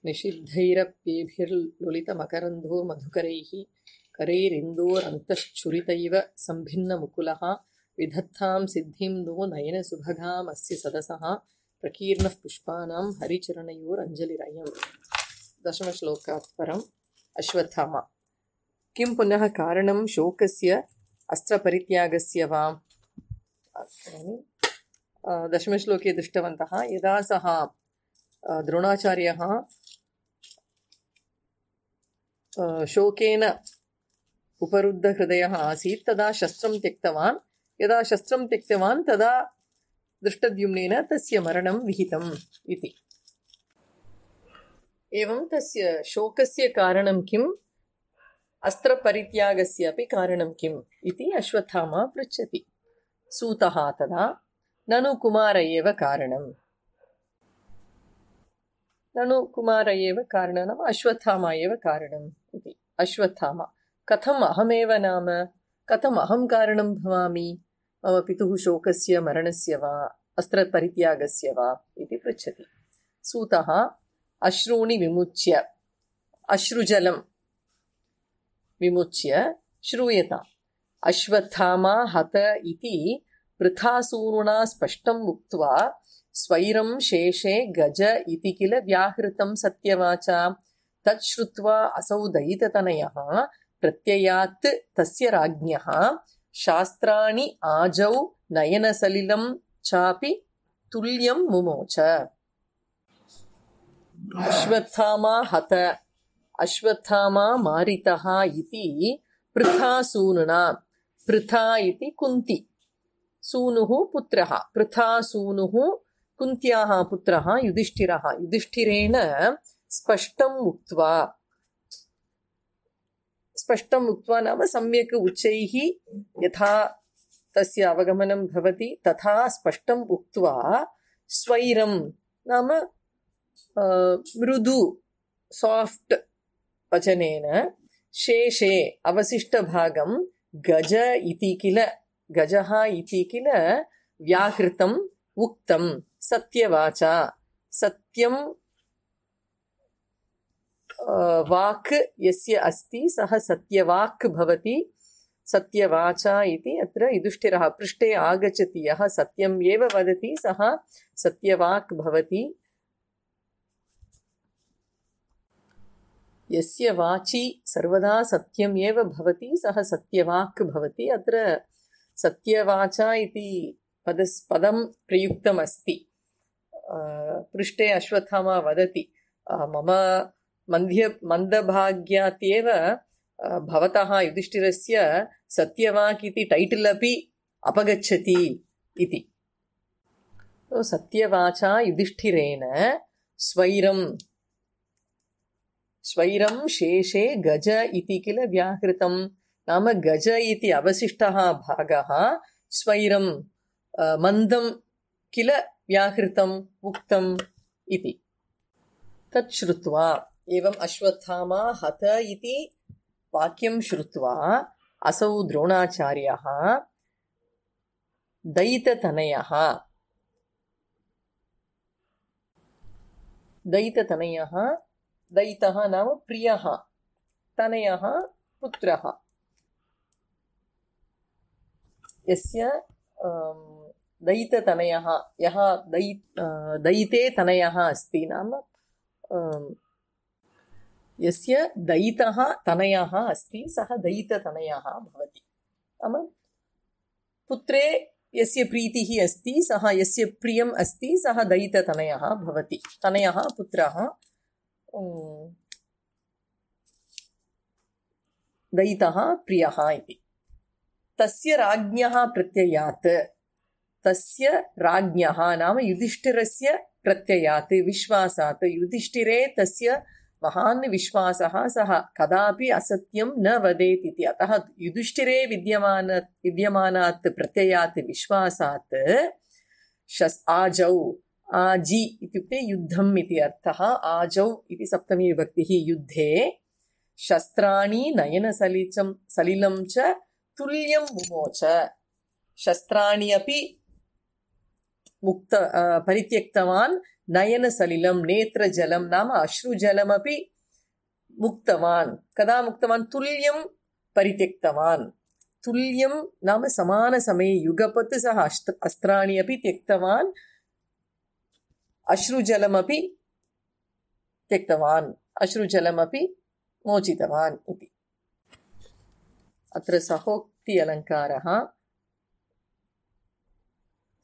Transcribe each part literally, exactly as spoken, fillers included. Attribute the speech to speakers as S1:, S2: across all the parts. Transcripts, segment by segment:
S1: निषिद्धैरप्येभिर्लुलितमकरन्धो मधुकरैः करैरिन्दोरन्तश्छुरितैव सम्भिन्नमुकुलः विधत्तां सिद्धिं नो नयनसुभगामस्य सदसः प्रकीर्णः पुष्पाणां हरिचरणयोरञ्जलिरयम्। दशमश्लोकात् परम् अश्वत्थामा। किं पुनः कारणं शोकस्य अस्त्रपरित्यागस्य वा? दशमश्लोके दृष्टवन्तः। यदा सः द्रोणाचार्यः शोकेन उपरुद्धहृदयः आसीत् तदा शस्त्रं त्यक्तवान्। यदा शस्त्रं त्यक्तवान् तदा दृष्टद्युम्नेन तस्य मरणं विहितम् इति। एवं तस्य शोकस्य कारणं किम्, अस्त्रपरित्यागस्य अपि कारणं किम् इति अश्वत्थामा पृच्छति। सूतः तदा ननु कुमार एव कारणम्। ननु कुमार एव कारणम्, अश्वत्थामा एव कारणम् इति। अश्वत्थामा कथम् अहमेव नाम, कथम् अहं कारणं भवामि मम पितुः शोकस्य मरणस्य वा अस्त्रपरित्यागस्य वा इति पृच्छति। सूतः अश्रूणि विमुच्य, अश्रुजलं विमुच्य श्रूयताम्। अश्वत्थामा हत इति पृथासूरुणा स्पष्टम् उक्त्वा स्वैरं शेषे गज इति किल व्याहृतं सत्यवाचा। तत् श्रुत्वा असौ दयिततनयः प्रत्ययात् तस्य राज्ञः शास्त्राणि आजौ नयनसलिलं चापि तुल्यं मुमोच। अश्वत्थामा हत, अश्वत्थामा मारितः इति पृथासूनुना। पृथा इति कुन्ती, सूनुः पुत्रः। पृथासूनुः कुन्त्याः पुत्रः युधिष्ठिरः। युधिष्ठिरेण स्पष्टम् उक्त्वा, स्पष्टम् उक्त्वा नाम सम्यक् उच्चैः यथा तस्य अवगमनं भवति तथा स्पष्टम् उक्त्वा स्वैरं नाम मृदु साफ्ट् वचनेन शेषे अवशिष्टभागं गज इति किल, गजः इति किल व्याहृतम् उक्तं सत्यवाचा। सत्यं वाक् यस्य अस्ति सः सत्यवाक् भवति। सत्यवाचा इति अत्र युधिष्ठिरः पृष्ठे आगच्छति। यः सत्यम् एव वदति सः सत्यवाक् भवति। यस्य वाचि सर्वदा सत्यम् एव भवति सः सत्यवाक् भवति। अत्र सत्यवाचा इति पदस् पदं प्रयुक्तमस्ति। पृष्ठे अश्वत्थामा वदति मम मन्ध्य मन्दभाग्यात्येव भवतः युधिष्ठिरस्य सत्यवाक् इति टैटल् अपि अपगच्छति इति। सत्यवाचा युधिष्ठिरेण स्वैरं, स्वैरं शेषे गज इति किल व्याहृतं नाम गज इति अवशिष्टः भागः स्वैरं मन्दं किल व्याहृतम् उक्तम् इति। तत् श्रुत्वा एवम् अश्वत्थामा हत इति वाक्यं श्रुत्वा असौ द्रोणाचार्यः दयिततनयः, दयिततनयः, दयितः नाम प्रियः, तनयः पुत्रः, यस्य दयिततनयः, यः दयि दयिते तनयः अस्ति नाम यस्य दयितः तनयः अस्ति सः दयिततनयः भवति। नाम पुत्रे यस्य प्रीतिः अस्ति सः, यस्य प्रियम् अस्ति सः दयिततनयः भवति। तनयः पुत्रः दयितः प्रियः इति। तस्य राज्ञः प्रत्ययात्, तस्य राज्ञः नाम युधिष्ठिरस्य प्रत्ययात् विश्वासात्, युधिष्ठिरे तस्य महान् विश्वासः, सः कदापि असत्यं न वदेत् इति। अतः युधिष्ठिरे विद्यमान विद्यमानात् प्रत्ययात् विश्वासात् शस् आजौ, आजि इत्युक्ते युद्धम् इति अर्थः। आजौ इति सप्तमी विभक्तिः। युद्धे शस्त्राणि नयनसलिचं सलिलं च तुल्यं मुमोच। शस्त्राणि अपि मुक्त परित्यक्तवान्, नयनसलिलं नेत्रजलं नाम अश्रुजलमपि मुक्तवान्. कदा मुक्तवान्? तुल्यं परित्यक्तवान्. तुल्यं नाम समानसमये युगपत् सः अस्त अस्त्राणि अपि त्यक्तवान्, अश्रुजलमपि त्यक्तवान्, अश्रुजलमपि मोचितवान् इति. अत्र सहोक्ति अलङ्कारः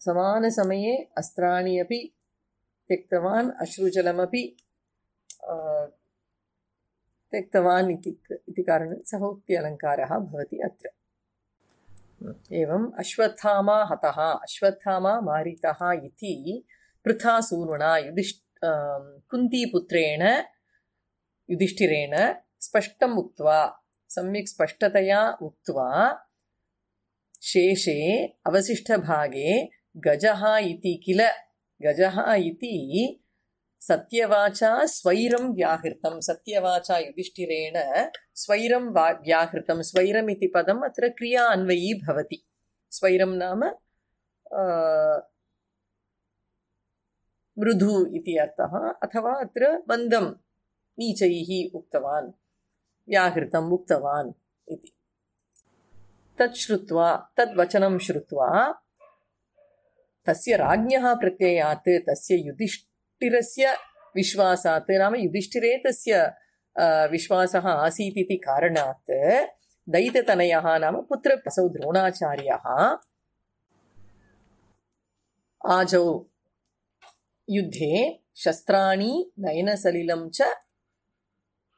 S1: समानसमये अस्त्राणि अपि त्यक्तवान्, अश्रुजलमपि त्यक्तवान् इति कारणेन सहोक्ति अलङ्कारः भवति अत्र. एवम् अश्वत्थामा हतः, अश्वत्थामा मारितः इति पृथासूनुना युधिष्ठ कुन्तीपुत्रेण युधिष्ठिरेण स्पष्टम् उक्त्वा, सम्यक् स्पष्टतया उक्त्वा, शेषे अवशिष्टभागे गजः इति किल, गजः इति सत्यवाचा स्वैरं व्याहृतं. सत्यवाचा युधिष्ठिरेण स्वैरं व्याहृतं. स्वैरम् इति पदम् अत्र क्रिया अन्वयी भवति. स्वैरं नाम मृदु इति अर्थः, अथवा अत्र मन्दं नीचैः उक्तवान्, व्याहृतम् उक्तवान् इति. तत् श्रुत्वा, तद्वचनं श्रुत्वा तस्य राज्ञः प्रत्ययात्, तस्य युधिष्ठिरस्य विश्वासात्, नाम युधिष्ठिरे तस्य विश्वासः आसीत् इति कारणात् दैत्यतनयः नाम पुत्रप्रसौ द्रोणाचार्यः आजौ युद्धे शस्त्राणि नयनसलिलं च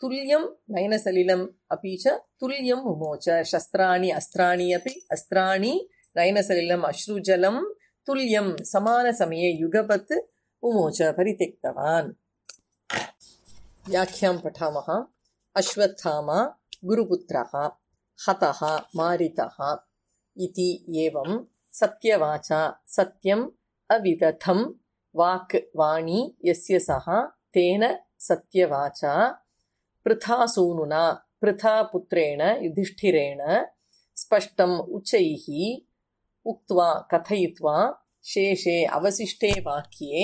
S1: तुल्यं, नयनसलिलम् अपि च तुल्यं मुमोच. शस्त्राणि अस्त्राणि अपि, अस्त्राणि नयनसलिलम् अश्रुजलं तुल्यं समानसमये युगपत् मुमोच, परित्यक्तवान्. व्याख्यां पठामः. अश्वत्थामा गुरुपुत्रः, हतः मारितः इति एवं सत्यवाचा, सत्यम् अविदथं वाक् वाणी यस्य सः तेन सत्यवाचा पृथासूनुना, पृथापुत्रेण युधिष्ठिरेण स्पष्टम् उच्चैः उक्त्वा कथयित्वा शेषे अवशिष्टे वाक्ये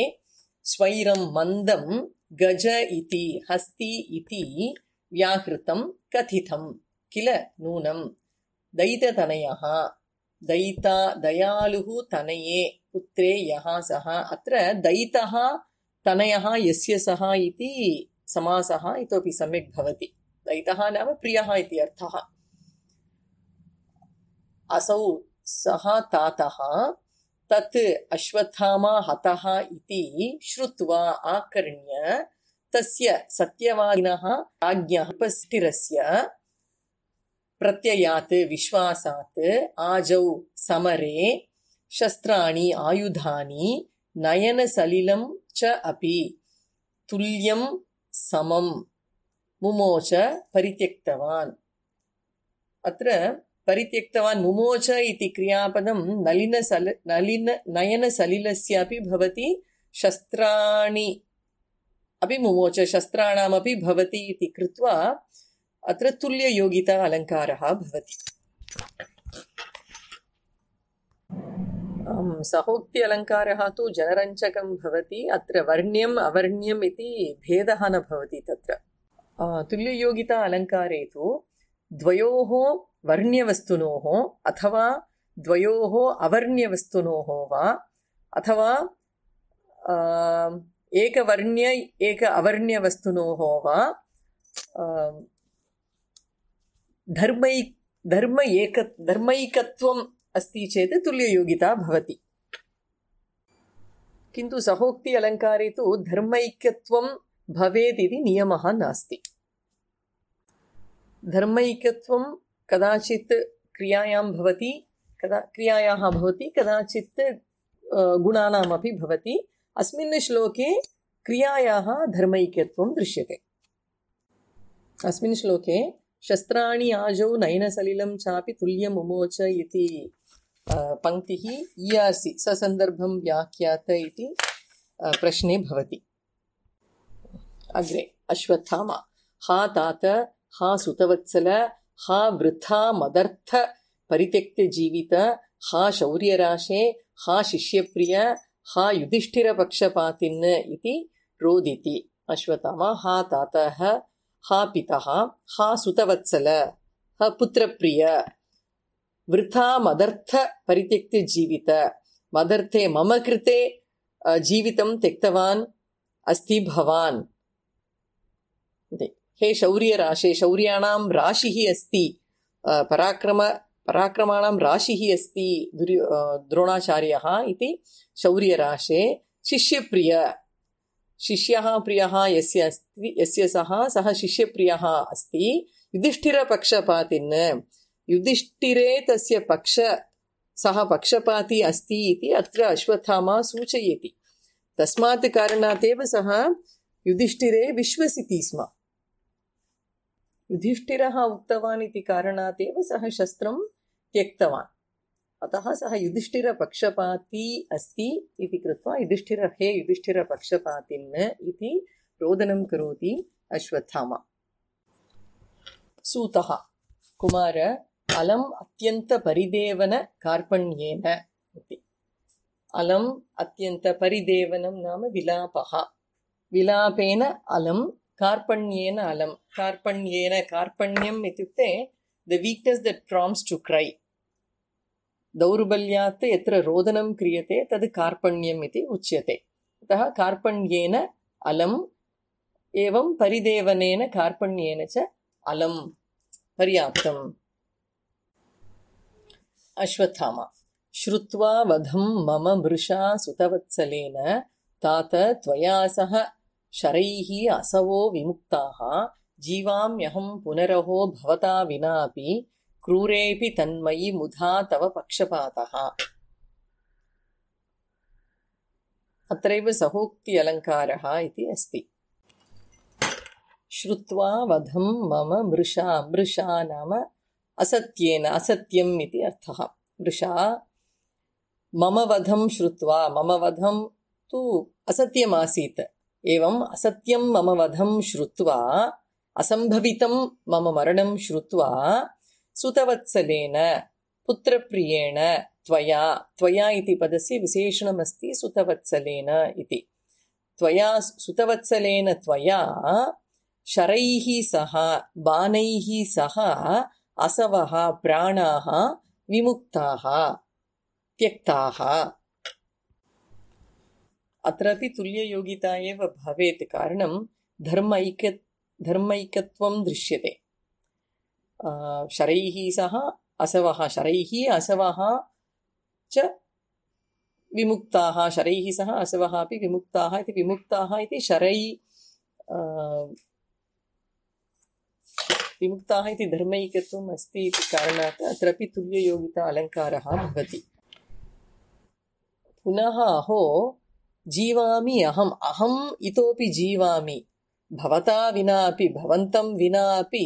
S1: स्वैरं मन्दं गज इति हस्ति इति व्याहृतं कथितं किल नूनं. दैत्यतनयः, दैता दयालुः तनये पुत्रे यः सः. अत्र दैतः तनयः यस्य सः इति समासः इतोपि सम्यक् भवति. दैतः नाम प्रियः इति अर्थः. असौ सः तातः तत् अश्वत्थामा हतः इति श्रुत्वा आकर्ण्य तस्य सत्यवादिनः राज्ञः उपस्थिरस्य प्रत्ययात् विश्वासात् आजौ समरे शस्त्राणि आयुधानि नयनसलिलं च अपि तुल्यं समं मुमोच परित्यक्तवान्. अत्र परित्यक्तवान् मुमोच इति क्रियापदं नलिनसल नलिन नयनसलिलस्यापि भवति, शस्त्राणि अपि मुमोच, शस्त्राणामपि भवति इति कृत्वा अत्र तुल्ययोगिता अलङ्कारः भवति. सहोक्ति अलङ्कारः तु जनरञ्जकं भवति. अत्र वर्ण्यम् अवर्ण्यम् इति भेदः न भवति तत्र. तुल्ययोगिता अलङ्कारे तु द्वयोः वर्ण्यवस्तुनोः अथवा द्वयोः अवर्ण्यवस्तुनोः वा अथवा एकवर्ण्य एक अवर्ण्यवस्तुनोः वा धर्मै धर्म एक धर्मैकत्वम् अस्ति चेत् तुल्ययोगिता भवति. किन्तु सहोक्ति अलङ्कारे तु धर्मैक्यत्वं भवेत् इति नियमः नास्ति. धर्मैक्यत्वं कदाचित् क्रियायां भवति, कदा क्रियायाः भवति, कदाचित् गुणानामपि भवति. अस्मिन् श्लोके क्रियायाः धर्मैक्यत्वं दृश्यते. अस्मिन् श्लोके शस्त्राणि आजौ नयनसलिलं चापि तुल्यं मुमोच इति पङ्क्तिः ईयासि ससन्दर्भं व्याख्यात इति प्रश्ने भवति. अग्रे अश्वत्थामा हा तात हा सुतवत्सल हा वृथा मदर्थ परित्यक्तजीवित हा शौर्यराशे हा शिष्यप्रिय हा युधिष्ठिरपक्षपातिन् इति रोदिति। अश्वत्थामा हा तातः हा पितः हा सुतवत्सल हा पुत्रप्रिय वृथा मदर्थ परित्यक्त्य जीवित मदर्थे मम कृते जीवितं त्यक्तवान् अस्ति भवान्। हे शौर्यराशे शौर्याणां राशिः अस्ति पराक्रम पराक्रमाणां राशिः अस्ति दुर्यो द्रोणाचार्यः इति शौर्यराशे शिष्यप्रिय शिष्यः प्रियः यस्य अस्ति यस्य सः सः शिष्यप्रियः अस्ति युधिष्ठिरपक्षपातिन् युधिष्ठिरे तस्य पक्ष सः पक्षपाती अस्ति इति अत्र अश्वत्थामा सूचयति। तस्मात् कारणात् एव सः युधिष्ठिरे विश्वसिति स्म। युधिष्ठिरः उक्तवान् इति कारणात् एव सः शस्त्रं त्यक्तवान्। अतः सः युधिष्ठिरपक्षपाती अस्ति इति कृत्वा युधिष्ठिरः हे युधिष्ठिरपक्षपातिन् इति रोदनं करोति अश्वत्थामा। सूतः कुमार अलम् अत्यन्तपरिदेवन कार्पण्येन इति। अलम् अत्यन्तपरिदेवनं नाम विलापः। विलापेन अलं कार्पण्येन अलं कार्पण्येन कार्पण्यम् इत्युक्ते the weakness that prompts to cry. दौर्बल्यात् यत्र रोदनं क्रियते तद् कार्पण्यम् इति उच्यते। अतः कार्पण्येन अलम् एवं परिदेवनेन कार्पण्येन च अलं पर्याप्तम्। अश्वत्थामा श्रुत्वा वधं मम मृषा सुतवत्सलेन तात त्वया सह शरैः असवो विमुक्ताः जीवाम्यहं पुनरहो भवता विनापि क्रूरेऽपि तन्मयि मुधा तव पक्षपातः। अत्रैव सहोक्ति अलङ्कारः इति अस्ति। श्रुत्वा वधं मम मृषा मृषा नाम असत्येन असत्यम् इति अर्थः। मृषा मम वधं श्रुत्वा मम वधं तु असत्यमासीत् एवम् असत्यं मम वधं श्रुत्वा असम्भवितं मम मरणं श्रुत्वा सुतवत्सलेन पुत्रप्रियेण त्वया त्वया इति पदस्य विशेषणमस्ति सुतवत्सलेन इति। त्वया सुतवत्सलेन त्वया शरैः सह बाणैः सह असवः प्राणाः विमुक्ताः त्यक्ताः। अत्रापि तुल्ययोगिता एव भवेत्, कारणं धर्मैक्य धर्मैकत्वं दृश्यते। शरैः सह असवः शरैः असवः च विमुक्ताः शरैः सह असवः अपि विमुक्ताः इति विमुक्ताः इति शरै विमुक्ताः इति धर्मैकत्वम् अस्ति इति कारणात् अत्रापि तुल्ययोगिता अलङ्कारः भवति। पुनः अहो जीवामि अहम् अहम् इतोपि जीवामि भवता विना अपि भवन्तं विना अपि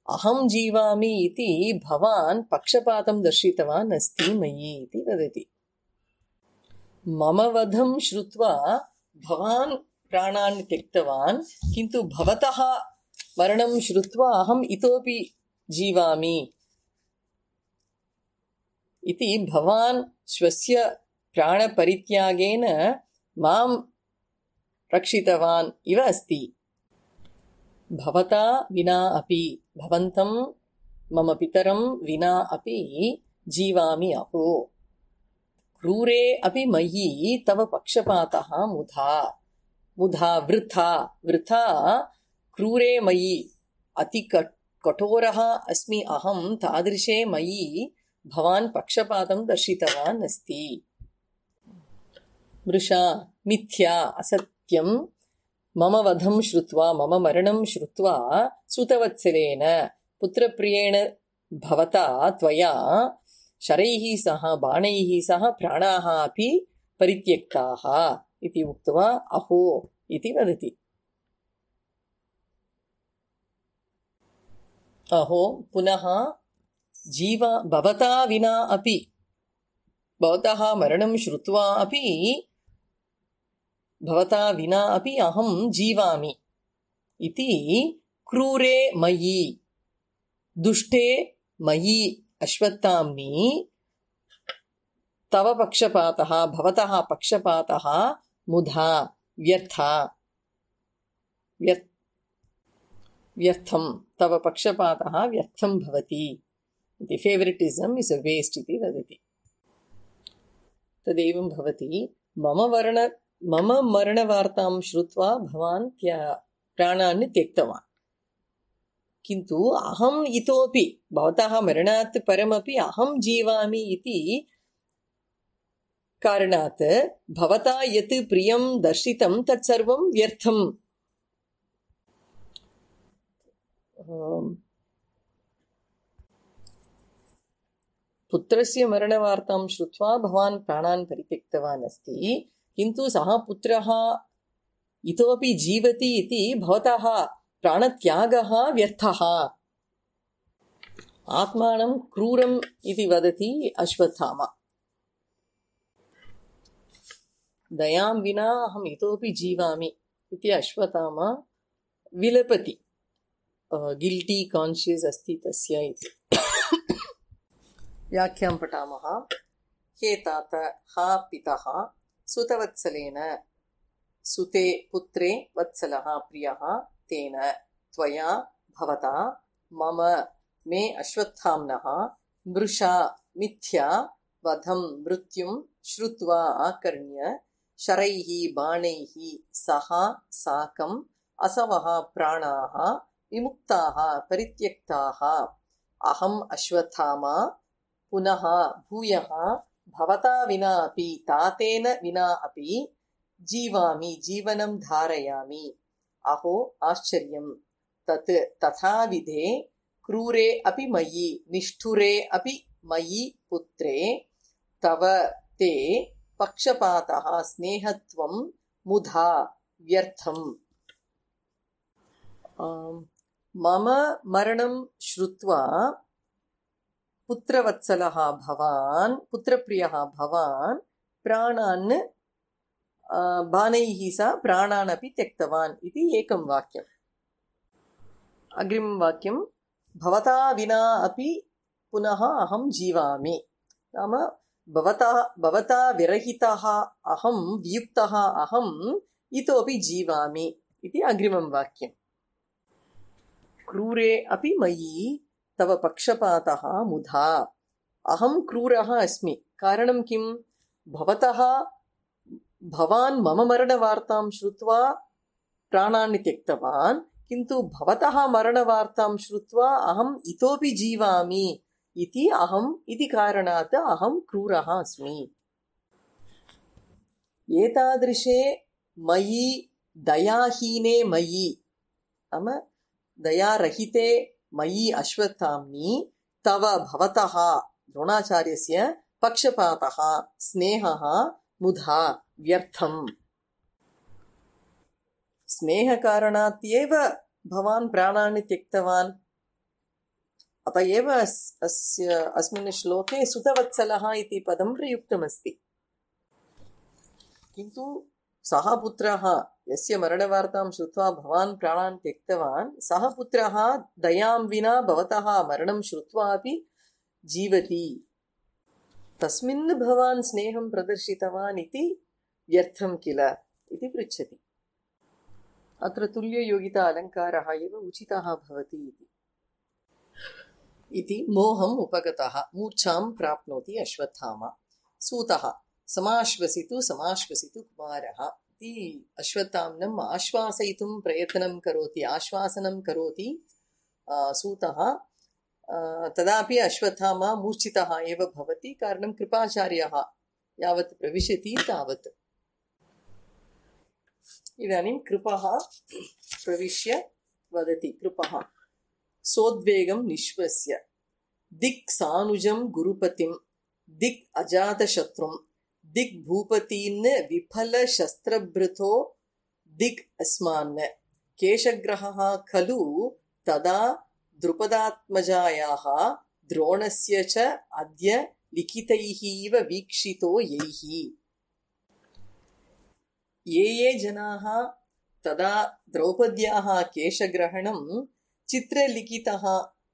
S1: अहं जीवामि इति भवान् पक्षपातं दर्शितवान् अस्ति मयि इति वदति। मम वधं श्रुत्वा भवान् प्राणान् त्यक्तवान्, किन्तु भवतः मरणं श्रुत्वा अहम् इतोपि जीवामि इति भवान् स्वस्य प्राणपरित्यागेन मां रक्षितवान् इव अस्ति। भवता विना अपि भवन्तं मम पितरं विना अपि जीवामि अहो। क्रूरे अपि मयि तव पक्षपातः मुधा मुधा वृथा वृथा क्रूरे मयि अति कठोरः अस्मि अहं, तादृशे मयि भवान् पक्षपातं दर्शितवान् अस्ति। मृषा मिथ्या असत्यं मम वधं श्रुत्वा मम मरणं श्रुत्वा सुतवत्सलेन पुत्रप्रियेण भवता त्वया शरैः सह बाणैः सह प्राणाः अपि परित्यक्ताः इति उक्त्वा अहो इति वदति। अहो पुनः जीवा भवता विना अपि भवतः मरणं श्रुत्वा अपि भवता विना अपि अहं जीवामि इति क्रूरे मयि दुष्टे मयि अश्वत्थाम्नि तव पक्षपातः भवतः पक्षपातः मुधा व्यर्था व्यर्थं तव पक्षपातः व्यर्थं भवति इति फेवरेटिज्म इस् अ वेस्ट इति वदति तदेवं भवति मम वर्ण मम मरणवार्तां श्रुत्वा भवान् त्या प्राणान् त्यक्तवान् किन्तु अहम् इतोपि भवतः मरणात् परमपि अहं जीवामि इति कारणात् भवता यत् प्रियं दर्शितं तत्सर्वं व्यर्थम् पुत्रस्य मरणवार्तां श्रुत्वा भवान् प्राणान् परित्यक्तवान् अस्ति किन्तु सः पुत्रः इतोपि जीवति इति भवतः प्राणत्यागः व्यर्थः आत्मानं क्रूरम् इति वदति अश्वत्थामा दयां विना अहम् इतोपि जीवामि इति अश्वत्थामा विलपति गिल्टी कान्शियस् अस्ति तस्य इति व्याख्यां पठामः हे तात हा पितः सुतवत्सलेन सुते पुत्रे वत्सलः प्रियः तेन त्वया भवता मम मे अश्वत्थाम्नः मृषा मिथ्या वधं मृत्युं श्रुत्वा आकर्ण्य शरैः बाणैः सह साकम् असवः प्राणाः विमुक्ताः परित्यक्ताः अहम् अश्वत्थामा पुनः भूयः भवता विना अपि तातेन विना अपि जीवामि जीवनं धारयामि अहो आश्चर्यं तत् तथाविधे क्रूरे अपि मयि निष्ठुरे अपि मयि पुत्रे तव ते पक्षपातः स्नेहत्वं मुधा व्यर्थम् मम मरणं श्रुत्वा पुत्रवत्सलः भवान् पुत्रप्रियः भवान् प्राणान् बाणैः सह प्राणान् अपि त्यक्तवान् इति एकं वाक्यम् अग्रिमं वाक्यं भवता विना अपि पुनः अहं जीवामि नाम भवता भवता विरहितः अहं वियुक्तः अहम् इतोपि जीवामि इति अग्रिमं वाक्यम् क्रूरे अपि मयि तव पक्षपातः मुधा अहं क्रूरः अस्मि कारणं किं भवतः भवान् मम मरणवार्तां श्रुत्वा प्राणान् त्यक्तवान् किन्तु भवतः मरणवार्तां श्रुत्वा अहम् इतोपि जीवामि इति अहम् इति कारणात् अहं क्रूरः अस्मि एतादृशे मयि दयाहीने मयि नाम दयारहिते मयि अश्वत्थाम्नि तव भवतः द्रोणाचार्यस्य पक्षपातः स्नेहः मुधा व्यर्थम् स्नेहकारणात् एव भवान् प्राणान् त्यक्तवान् अत एव अस्य अस्मिन् श्लोके सुतवत्सलः इति पदं प्रयुक्तमस्ति किन्तु सः पुत्रः यस्य मरणवार्तां श्रुत्वा भवान् प्राणान् त्यक्तवान् सः पुत्रः दयां विना भवतः मरणं श्रुत्वा अपि जीवति तस्मिन् भवान् स्नेहं प्रदर्शितवान् इति व्यर्थं किल इति पृच्छति अत्र तुल्ययोगिता अलङ्कारः एव उचितः भवति इति इति मोहम् उपगतः मूर्छां प्राप्नोति अश्वत्थामा सूतः समाश्वसितु समाश्वसितु कुमारः इति अश्वत्थाम्नम् आश्वासयितुं प्रयत्नं करोति आश्वासनं करोति सूतः तदापि अश्वत्थामा मूर्छितः एव भवति कारणं कृपाचार्यः यावत् प्रविशति तावत् इदानीं कृपः प्रविश्य वदति कृपः सोद्वेगं निश्वस्य दिक् सानुजं गुरुपतिं दिक् अजातशत्रुं दिक् भूपतीन् विफलशस्त्रभृतो दिक् अस्मान् केशग्रहः खलु तदा द्रुपदात्मजायाः द्रोणस्य च अद्य लिखितैः इव वीक्षितो यैः ये ये जनाः तदा द्रौपद्याः केशग्रहणं चित्रलिखितः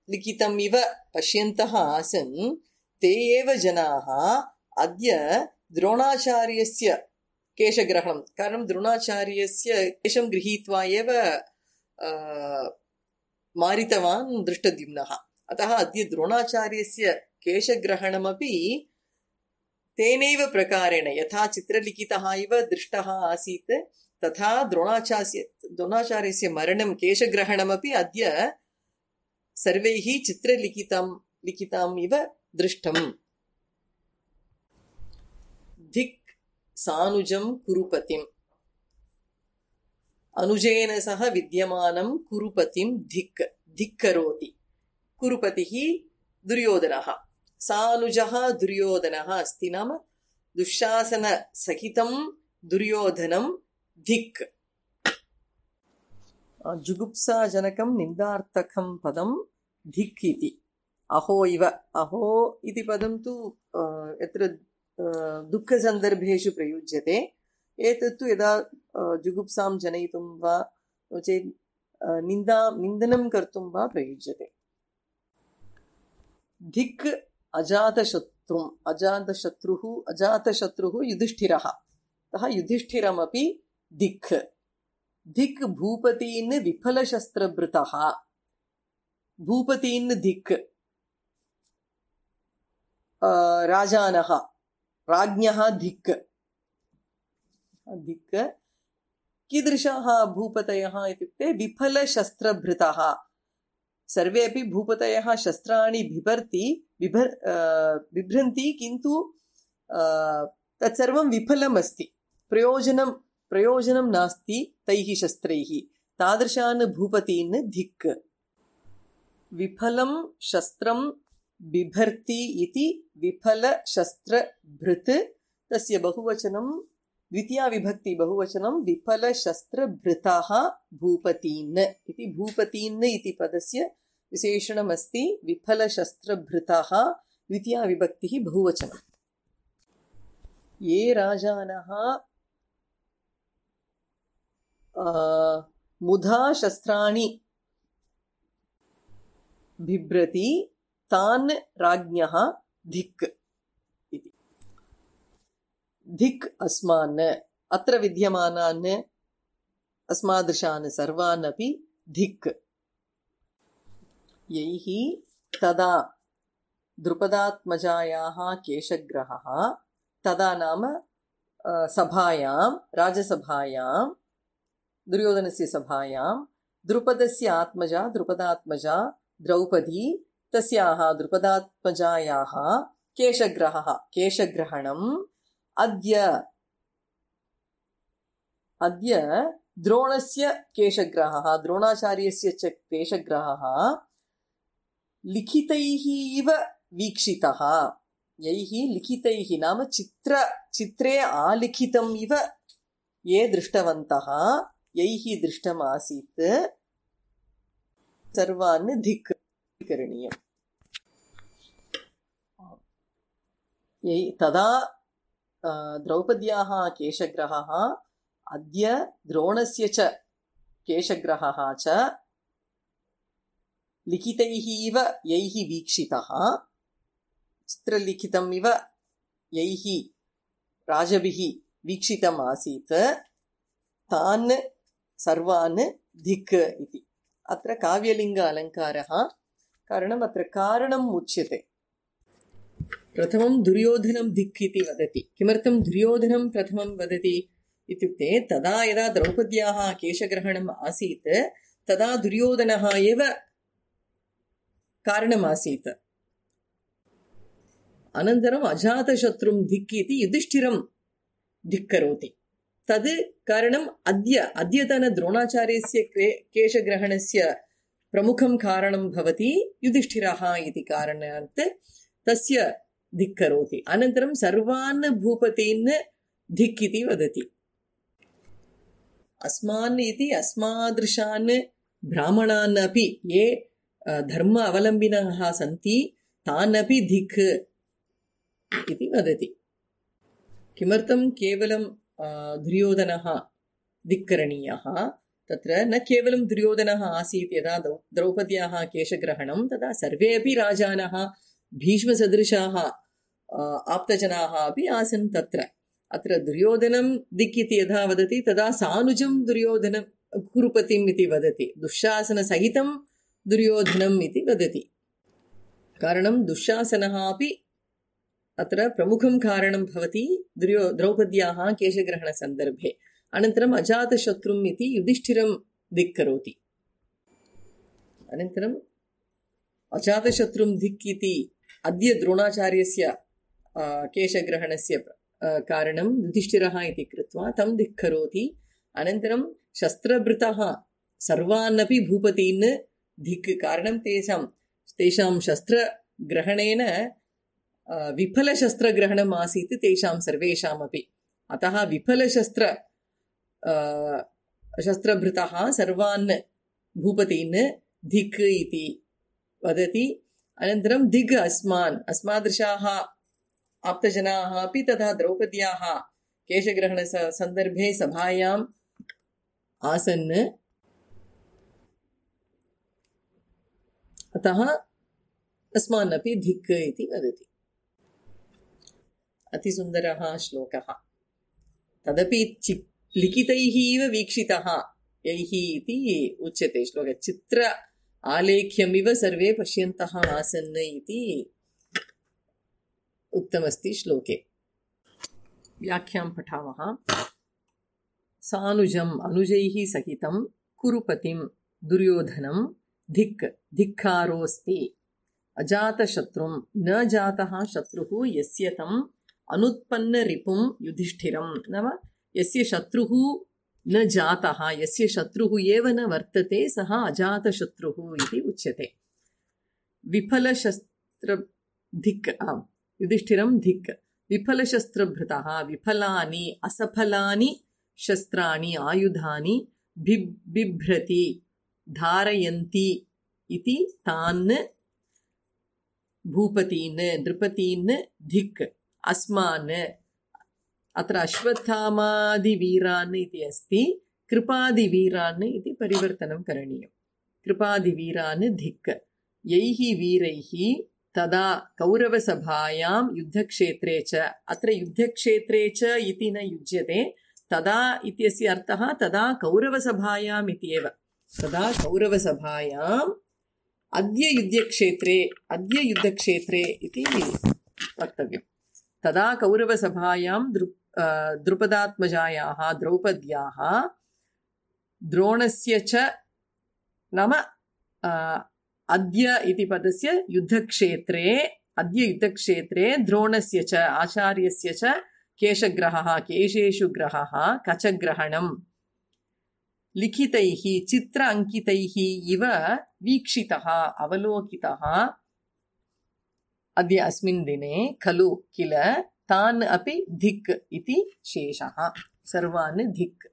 S1: लिखितम् इव पश्यन्तः आसन् ते एव जनाः अद्य द्रोणाचार्यस्य केशग्रहणं कारणं द्रोणाचार्यस्य केशं गृहीत्वा एव मारितवान् दृष्टद्युम्नः अतः अद्य द्रोणाचार्यस्य केशग्रहणमपि तेनैव प्रकारेण यथा चित्रलिखितः इव दृष्टः आसीत् तथा द्रोणाचार्य द्रोणाचार्यस्य मरणं केशग्रहणमपि अद्य सर्वैः चित्रलिखितं लिखिताम् इव दृष्टम् धिक् सानुजं कुरुपतिम् अनुजेन सह विद्यमानं कुरुपतिं धिक् धिक्करोति कुरुपतिः दुर्योधनः सानुजः दुर्योधनः अस्ति नाम दुःशासनसहितं दुर्योधनं धिक् जुगुप्साजनकं निन्दार्थकं पदं धिक् इति अहो इव अहो इति पदं तु यत्र दुःखसन्दर्भेषु प्रयुज्यते एतत्तु यदा जुगुप्सां जनयितुं वा नो चेत् निन्दा निन्दनं कर्तुं वा प्रयुज्यते धिक् अजातशत्रुम् अजातशत्रुः अजातशत्रुः युधिष्ठिरः अतः युधिष्ठिरमपि धिक् धिक् भूपतीन् विफलशस्त्रभृतः भूपतीन् धिक् राजानः राज्ञः धिक् धिक् कीदृशाः भूपतयः इत्युक्ते विफलशस्त्रभृतः सर्वे अपि भूपतयः शस्त्राणि बिभर्ति बिभर् बिभ्रन्ति किन्तु तत्सर्वं विफलम् अस्ति प्रयोजनं प्रयोजनं नास्ति तैः शस्त्रैः तादृशान् भूपतीन् धिक् विफलं शस्त्रं बिभर्ति इति विफलशस्त्रभृत् तस्य बहुवचनं द्वितीया विभक्ति बहुवचनं विफलशस्त्रभृतः भूपतीन् इति भूपतीन् इति पदस्य विशेषणमस्ति विफलशस्त्रभृतः द्वितीया विभक्तिः बहुवचनं ये राजानः मुधा शस्त्राणि बिभ्रति तान् राज्ञः धिक् इति धिक् अस्मान् अत्र विद्यमानान् अस्मादृशान् सर्वान् अपि धिक् यैः तदा द्रुपदात्मजायाः केशग्रहः तदा नाम सभायां राजसभायां दुर्योधनस्य सभायां द्रुपदस्य आत्मजा द्रुपदात्मजा द्रौपदी तस्याः द्रुपदात्मजायाः केशग्रहः केशग्रहणम् अद्य अद्य द्रोणस्य केशग्रहः द्रोणाचार्यस्य च केशग्रहः लिखितैः इव वीक्षितः यैः लिखितैः नाम चित्र चित्रे आलिखितम् इव ये दृष्टवन्तः यैः दृष्टमासीत् सर्वान् धिक् करणीयम् यैः तदा द्रौपद्याः केशग्रहः अद्य द्रोणस्य च केशग्रहः च लिखितैः इव यैः वीक्षितः चित्रलिखितम् इव यैः राजभिः वीक्षितम् आसीत् तान् सर्वान् धिक् इति अत्र काव्यलिङ्ग अलङ्कारः कारणम् अत्र कारणम् उच्यते प्रथमं दुर्योधनं धिक् इति वदति किमर्थं दुर्योधनं प्रथमं वदति इत्युक्ते तदा यदा द्रौपद्याः केशग्रहणम् आसीत् तदा दुर्योधनः एव कारणमासीत् अनन्तरम् अजातशत्रुं धिक् इति युधिष्ठिरं धिक्करोति तद् कारणम् अद्य अद्यतन द्रोणाचार्यस्य केशग्रहणस्य प्रमुखं कारणं भवति युधिष्ठिरः इति कारणात् तस्य धिक्करोति अनन्तरं सर्वान् भूपतीन् धिक् इति वदति अस्मान् इति अस्मादृशान् ब्राह्मणान् अपि ये धर्म अवलम्बिनः सन्ति तान् अपि धिक् इति वदति किमर्थं केवलं दुर्योधनः धिक्करणीयः तत्र न केवलं दुर्योधनः आसीत् यदा द्रौपद्याः केशग्रहणं तदा सर्वे अपि राजानः भीष्मसदृशाः आप्तजनाः अपि आसन् तत्र। अत्र दुर्योधनं दिक् इति यदा वदति तदा सानुजं दुर्योधनं कुरुपतिम् इति वदति, दुःशासनसहितं दुर्योधनम् इति वदति। कारणं दुःशासनः अपि अत्र प्रमुखं कारणं भवति दुर्यो द्रौपद्याः केशग्रहणसन्दर्भे। अनन्तरम् अजातशत्रुम् इति युधिष्ठिरं दिक् करोति। अनन्तरम् अजातशत्रुं दिक् इति अद्य द्रोणाचार्यस्य केशग्रहणस्य कारणं युधिष्ठिरः इति कृत्वा तं दिक् करोति। अनन्तरं शस्त्रभृतः सर्वानपि भूपतीन् दिक्, कारणं तेषां तेषां शस्त्रग्रहणेन विफलशस्त्रग्रहणम् आसीत् तेषां सर्वेषामपि। अतः विफलशस्त्र शस्त्रभृतः सर्वान् भूपतीन् दिक् इति वदति। अनन्तरं दिग् अस्मान्, अस्मादृशाः आप्तजनाः अपि तथा द्रौपद्याः केशग्रहणसन्दर्भे सभायाम् आसन्। अतः अस्मान् अपि धिक् इति वदति। अतिसुन्दरः श्लोकः। तदपि चि लिखितैः इव वीक्षितः यैः इति उच्यते श्लोके। चित्र आलेख्यमिव सर्वे पश्यन्तः आसन् इति उक्तमस्ति श्लोके। व्याख्यां पठामः। सानुजम् अनुजैः सहितं कुरुपतिं दुर्योधनं धिक् धिक्कारोऽस्ति। अजातशत्रुं न जातः शत्रुः यस्य तम् अनुत्पन्नरिपुं युधिष्ठिरं। नाम यस्य शत्रुः न जातः, यस्य शत्रुः एव न वर्तते सः अजातशत्रुः इति उच्यते। विफलशस्त्र धिक्, आम् युधिष्ठिरं धिक्। विफलशस्त्रभृतः विफलानि असफलानि शस्त्राणि आयुधानि बिभ्रति धारयन्ति इति तान् भूपतीन् नृपतीन् धिक् अस्मान्। अत्र अश्वत्थामादिवीरान् इति अस्ति, कृपादिवीरान् इति परिवर्तनं करणीयं। कृपादिवीरान् धिक् यैः वीरैः तदा कौरवसभायां युद्धक्षेत्रे च। अत्र युद्धक्षेत्रे च इति न युज्यते, तदा इत्यस्य अर्थः तदा कौरवसभायाम् इति एव। तदा कौरवसभायाम् अद्य युद्धक्षेत्रे अद्य युद्धक्षेत्रे इति वक्तव्यम्। तदा कौरवसभायां द्रु द्रुपदात्मजायाः द्रौपद्याः द्रोणस्य च, नाम अद्य इति पदस्य युद्धक्षेत्रे अद्य युद्धक्षेत्रे द्रोणस्य च आचार्यस्य च केशग्रहः केशेषु ग्रहः कचग्रहणं लिखितैः चित्र अंकितैः इव वीक्षितः अवलोकितः अद्य अस्मिन् दिने खलु किल तान् अपि धिक् इति शेषः। सर्वान् धिक्।